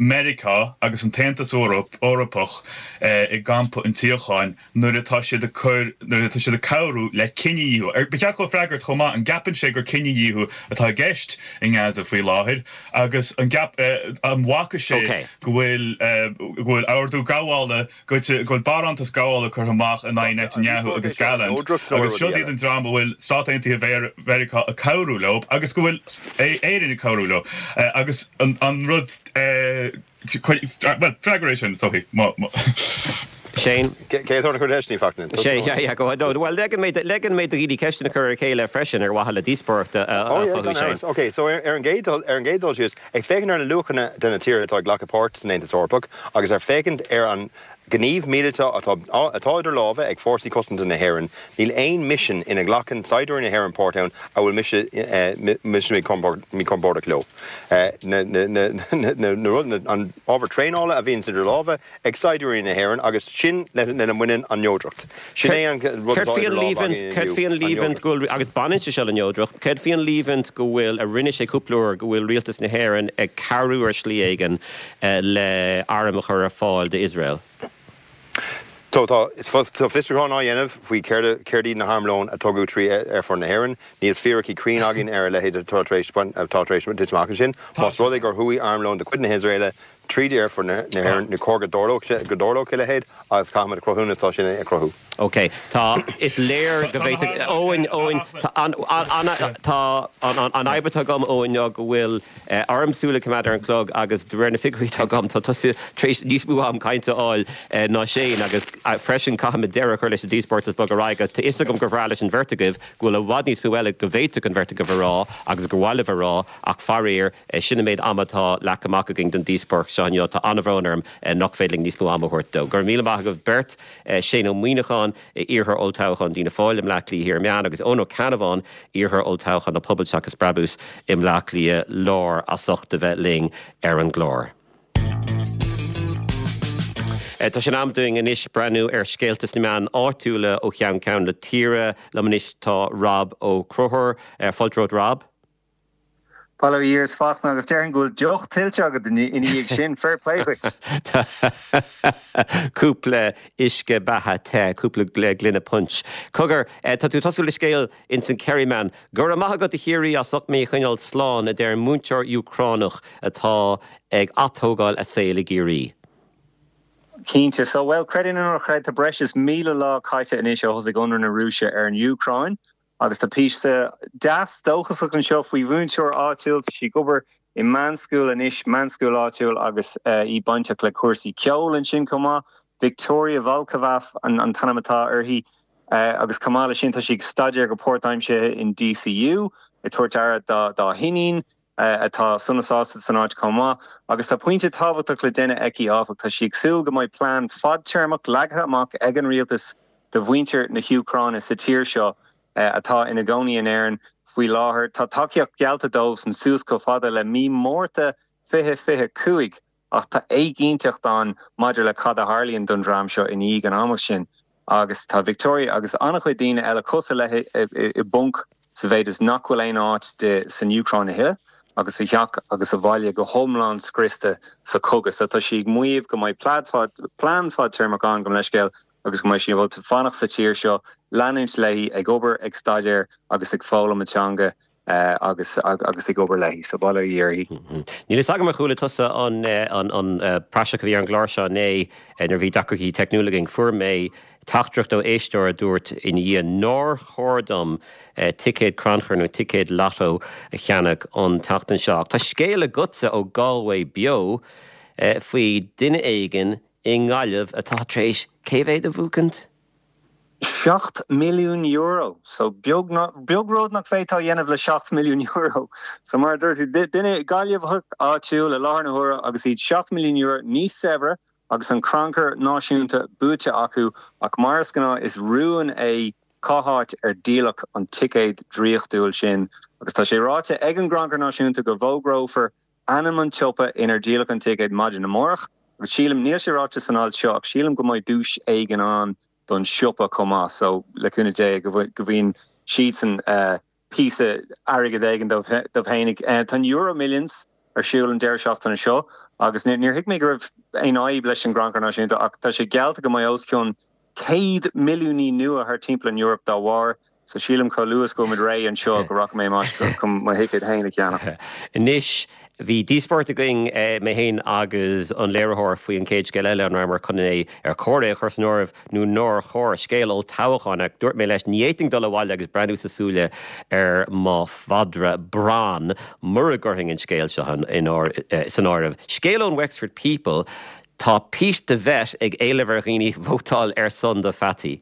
Meiriceá agus an tAontas Eorpach i gcampa an tsíocháin nuair atá siad ag cur, nuair atá siad ag cabhrú le cinedhíothú. Ba cheart dó freagairt chomh maith, an gceapann sé gur cinedhíothú atá i gceist i nGaza faoi láthair agus an gceap, an bhfaca sé go bhfuil, go bhfuil ordú gabhála, go bhfuil barántas gabhála curtha amach in aghaidh Netanyahu agus Gallant agus siod iad an dream a bhfuil Stáit Aontaithe Mheiriceá ag cabhrú leo agus go bhfuil Éirinn ag cabhrú leo agus an rud bhuel freagair é sin is dóichí má Shane. Cé atá ag cur ceisteanna fachna? Shane, yeah, yeah, go ahead. No, bhuel, legan mé, legan mé do dhaoine ceisteanna a chur ar a chéile freisin ar mhaithe le díospóireacht a Oh yeah, chothú, gan Shane. amhras. Ok, so ar an gcéad dul, ar an gcéad dul síos, Ag féachaint ar na luachanna de na tíortha atá ag glacadh páirt san Aontas Eorpach agus ar féachaint ar an ngníomh míleata atá atá idir lámha ag Fórsaí Cosanta na hÉireann, níl aon misean ina nglacann saighdiúirí na hÉireann páirt ann a bhfuil mise mise míchompordach leo. Na na na na na an ábhar traenála a bhíonns idir lámha ag saighdiúirí na hÉireann agus sin lena mbaineann an neodracht. Sin é an rud Céard atá faoi idir an lámha líomhaint, againn céard inniu, faoi an an líomhaint neodracht. go bhfuil, agus baineann sé seo le neodracht, céard faoi an líomhaint go bhfuil, a rinne sé cúpla uair, go bhfuil rialtas na hÉireann ag cabhrú ar shlí éigin le airm a chur ar fáil d'Iosrael? So tá tá fiosrúchán á dhéanamh faoi céard céard iad na harmlóin a tugadh trí aerfort na hÉireann. Níl fíricí cruinn againn ar a leithéid atá tar éis atá tar éis titim amach ansin. Más rud é gur chuaigh armlón de chuid na hIosraeile Tríd aerfort na hÉireann, ní cóir go dtarlódh sé, go dtarlódh a leithéid agus caithfimid cruthúnas dó sin a chruthú. Ok, tá, is léir go bhféadfadh, Eoin, Eoin, tá an, an, tá an, an, an fhadhb atá agam, Eoin, ná go bhfuil orm súil a choimeád ar an chlog agus de réir na figiúirí atá agam, tá tusa tar éis níos mó am cainte a fháil ná Shane agus freisin caithfimid deireadh a chur leis an díospóireacht is bogadh ar aghaidh agus tá fhios agam gur bhreá leis an bheirt agaibh go bhfuil i bhfad níos mó eile go bhféadfadh an bheirt agaibh a rá agus gur mhaith libh a rá ach faraor, Sin an méid ama atá leagtha amach againn don díospóireacht seo inniu. Tá an-bhrón orm nach féidir linn níos mó ama a thabhairt dó. Go raibh míle maith agaibh beirt, Shane Ó Muíneacháin, iarrthóir olltoghcháin d'Fhianna Fáil i mBleá Cliath Thiar Meán agus Eoin Ó Ceannabháin, iarrthóir olltoghcháin an Pobal Seachas Brabús i mBleá Cliath Láir, as ucht a bheith linn ar an gclár. Tá sé in am dúinn anois breathnú ar scéalta sna meáin áitiúla ó cheann ceann na tíre. Liom anois tá Rob Ó Conchúir. Fáilte romhat Rob. Bail ó Dhia ort Fachtna agus déarfainn go bhfuil deoch tuillte agat ina dhiaidh sin, fair play dhuit. Cúpla uisce beatha te, cúpla gloine punch. Cogar, tá tú ag tosú le scéal ins an Kerryman. Go raibh maith agat a Chiarraí as ucht mé a choinneáil slán, a deir múinteoir Úcránach atá ag atógáil a saoil i gCiarraí. Cinnte. So, bhuel, creid é nó ná creid, tá breis is míle lá caite anois ó thosaigh ionradh na Rúise ar an Úcráin. Agus tá píosa deas dóchasach anseo faoi mhúinteoir áitiúil, tá sí ag obair i meánscoil anois, meánscoil áitiúil agus í bainteach le cúrsaí ceoil ansin chomh maith. Victoria Volkova an an t-ainm atá uirthi agus chomh maith leis sin tá sí ag staidéar go páirtaimseartha in DCU, ag tabhairt aire dá dá hiníon atá sona sásta san áit chomh maith. Agus tá pointe tábhachtach le déanamh aici áfach, tá sí ag súil go mbeidh plean fadtéarmach leagtha amach ag an rialtas do mhuintir na hÚcráine sa tír seo atá ina gcónaí in Éirinn faoi láthair. Tá tacaíocht geallta dóibhsan suas chomh fada le mí Márta fiche fiche cúig ach tá éiginnteacht ann maidir le cad a tharlaíonn don dream seo i ndiaidh an ama sin agus tá Victoria agus an-chuid daoine eile cosúil léi i bponc sa mhéid is nach bhfuil aon áit di san Úcráin a thuilleadh agus a theach agus a bhaile go hiomlán scriosta sa chogadh. So tá sí ag maíomh go mbeidh plean fadtéarmach ann, gabh mo leithscéal, agus go mbeidh sí ábalta fanacht sa tír seo, leanúint léi ag obair, ag staidéar agus ag foghlaim a teanga agus agus ag obair léi. So bail ó Dhia uirthi. Níl fhios agam ar chuala tusa an an praiseach a bhí ar an gclár seo inné nuair a bhí deacrachtaí teicniúla againn. Fuair mé teachtaireacht ó éisteoir a dúirt ina dhiaidh nár chóir dom ticéad crannchuir nó ticéad lotto a cheannach an tseachtain seo. Ach tá scéal agatsa ó Galway Beo faoi duine éigin i nGaillimh atá tar éis cé mhéad a bhuachaint? Seacht milliún euro. So beag beag rud nach bhféadfá a dhéanamh le seacht milliún euro. So mar a dúirt tú, duine Gaillimheach áitiúil i láthair na huaire agus iad seacht milliún euro níos saibhre agus an crannchur náisiúnta buaite acu ach mar is gnáth is rún é cá háit ar díoladh an ticéad draíochtúil sin agus tá sé ráite ag an gcrannchur náisiúnta go bhfógrófar ainm an tsiopa inar díoladh an ticéad maidin amárach agus sílim, níl sé ráite san alt seo ach sílim go mbeidh duais éigin ann don siopa chomh maith so le cúnamh Dé go bhfaigheann siadsan píosa airgid éigin dóibh féinig. Tá an Euro Millions ar siúl an deireadh seachtaine seo agus níor thuig mé go raibh aon fhadhb leis an gcrannchur náisiúnta ach tá sé geallta go mbeidh os cionn céad milliúnaí nua thar timpeall an Eoraip dá bharr. So sílim chomh luath is go bhfuil muid réidh anseo go rachaidh mé amach chun mo thicéad féin a cheannach. Anois, bhí díospóireacht againn, mé féin agus an léiritheoir, faoi an chéad scéal eile, an rabhamar chun é, ar chóir é a chur san áireamh nó nár chóir, scéal olltoghcháin, ach dúirt mé leis, ní fhéadfainn dul abhaile agus breathnú sa súile ar mo mhadra Bran mura gcuirfinn an scéal seo san áireamh. Scéal ón Wexford People, tá Pete the Vet ag éileamh ar dhaoine vótáil ar son do pheataí.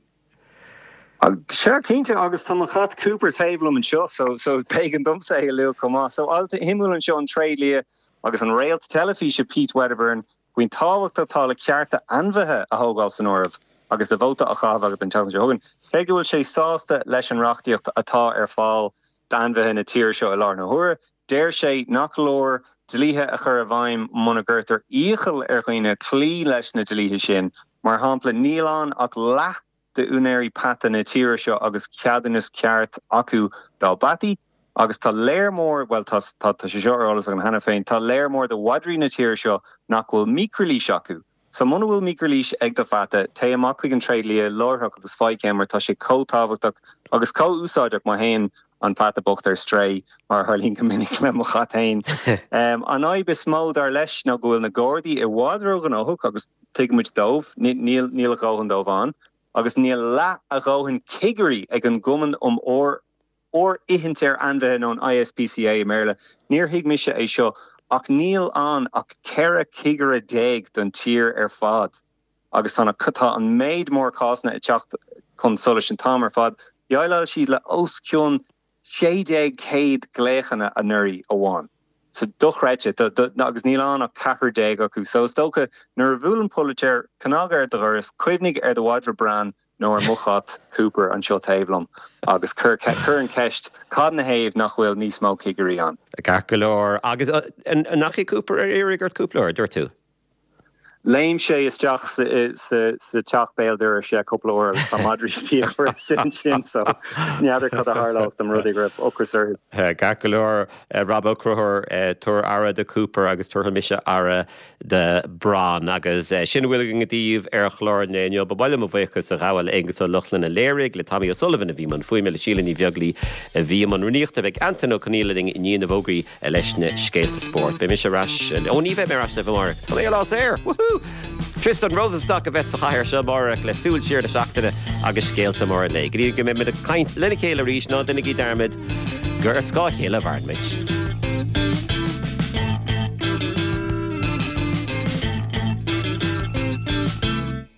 Sea, cinnte, agus tá mo chat Cooper taobh liom anseo, so so b'éigean domsa é a lua chomh maith. So alt shuimiúil anseo ón tréidlia agus an réalt teilifíse Pete Wedderburn faoin tábhacht atá le cearta ainmhithe a thógáil san áireamh agus do vóta á chaitheamh agat an tseachtain seo chugainn. Cé go bhfuil sé sásta leis an reachtaíocht atá ar fáil d'ainmhithe na tíre seo i láthair na huaire, deir sé nach leor dlíthe a chur i bhfeidhm muna gcuirtear iachall ar dhaoine cloí leis na dlíthe sin. Mar shampla, níl ann ach leath d'úinéirí peata na tíre seo agus ceadúnas ceart acu dá bpeataí agus tá léar mór, bhuel tá, tá, tá sé seo ar eolas agam cheana féin, tá léar mór de mhadraí na tíre seo nach bhfuil micrealís acu. So muna bhfuil micrealís ag do pheata, téigh amach chuig an tréidlia láithreach agus faigh ceann mar tá sé chomh tábhachtach agus chomh úsáideach má théann an peata bocht ar strae, mar a tharlaíonn go minic le mo chat féin. An fhadhb is mó, dar leis, ná go bhfuil na Gardaí i bhfad róghnóthach agus tuigimid dóibh, níl, níl a dhóthain dóibh ann. agus níl leath a dhóthain cigirí ag an gCumann um Fhóirithint ar Ainmhithe nó an ISPCA i mBéarla. Níor thuig mise é seo ach níl ann ach ceithre chigire déag don tír ar fad agus tá na tá an méid mór cásanna ag teacht chun solais an t-am ar fad. Dhéileáil siad le os cionn sé déag céad glaochanna anuraidh amháin. So dochreidte, agus níl ann ach ceathrar déag acu. So is dócha nuair a bhuaileann póilín cnag ar do dhoras, cuimhnigh ar do mhadra Bran nó ar mo chat Cooper anseo taobh liom agus cuir cuir an cheist cad 'na thaobh nach bhfuil níos mó cigirí ann? Ceart go leor. Agus nach é Cooper ar iarraidh ort cúpla uair, dúirt tú? Léim sé isteach sa sa sa teach béal dorais cúpla uair agus tá madraí fíochmhar ansin so n'fheadar cad a tharlódh dá mba rud é go raibh ocras orthu. Ceart go leor Rob Ó Conchúir, tabhair aire do Cooper agus tabharfaidh mise aire do Bran agus sin a bhfuil againn daoibh ar chlár an lae inniu. Ba mhaith liom mo bhuíochas a ghabháil le Aengus Ó Lochlainn a léirigh, le Tommy O'Sullivan a bhí i mbun fuaime, le Síle Ní Bheaglaoi a bhí i mbun rúnaíochta. Beidh Antain Ó Conghaile linn i ndiaidh na bhfógraí leis na scéalta spóirt. Beidh mise ar ais, ó ní bheidh mé ar ais libh amárach, tá mé ar lá saor! Woohoo! Tristan Rosenstock a bheas sa chathaoir seo amárach le súil siar na seachtaine agus scéalta móra an lae. Go dtí go mbeidh muid ag caint lena chéile arís, ná déanaigí dearmad gur ar scáth a chéile a mhaireann muid.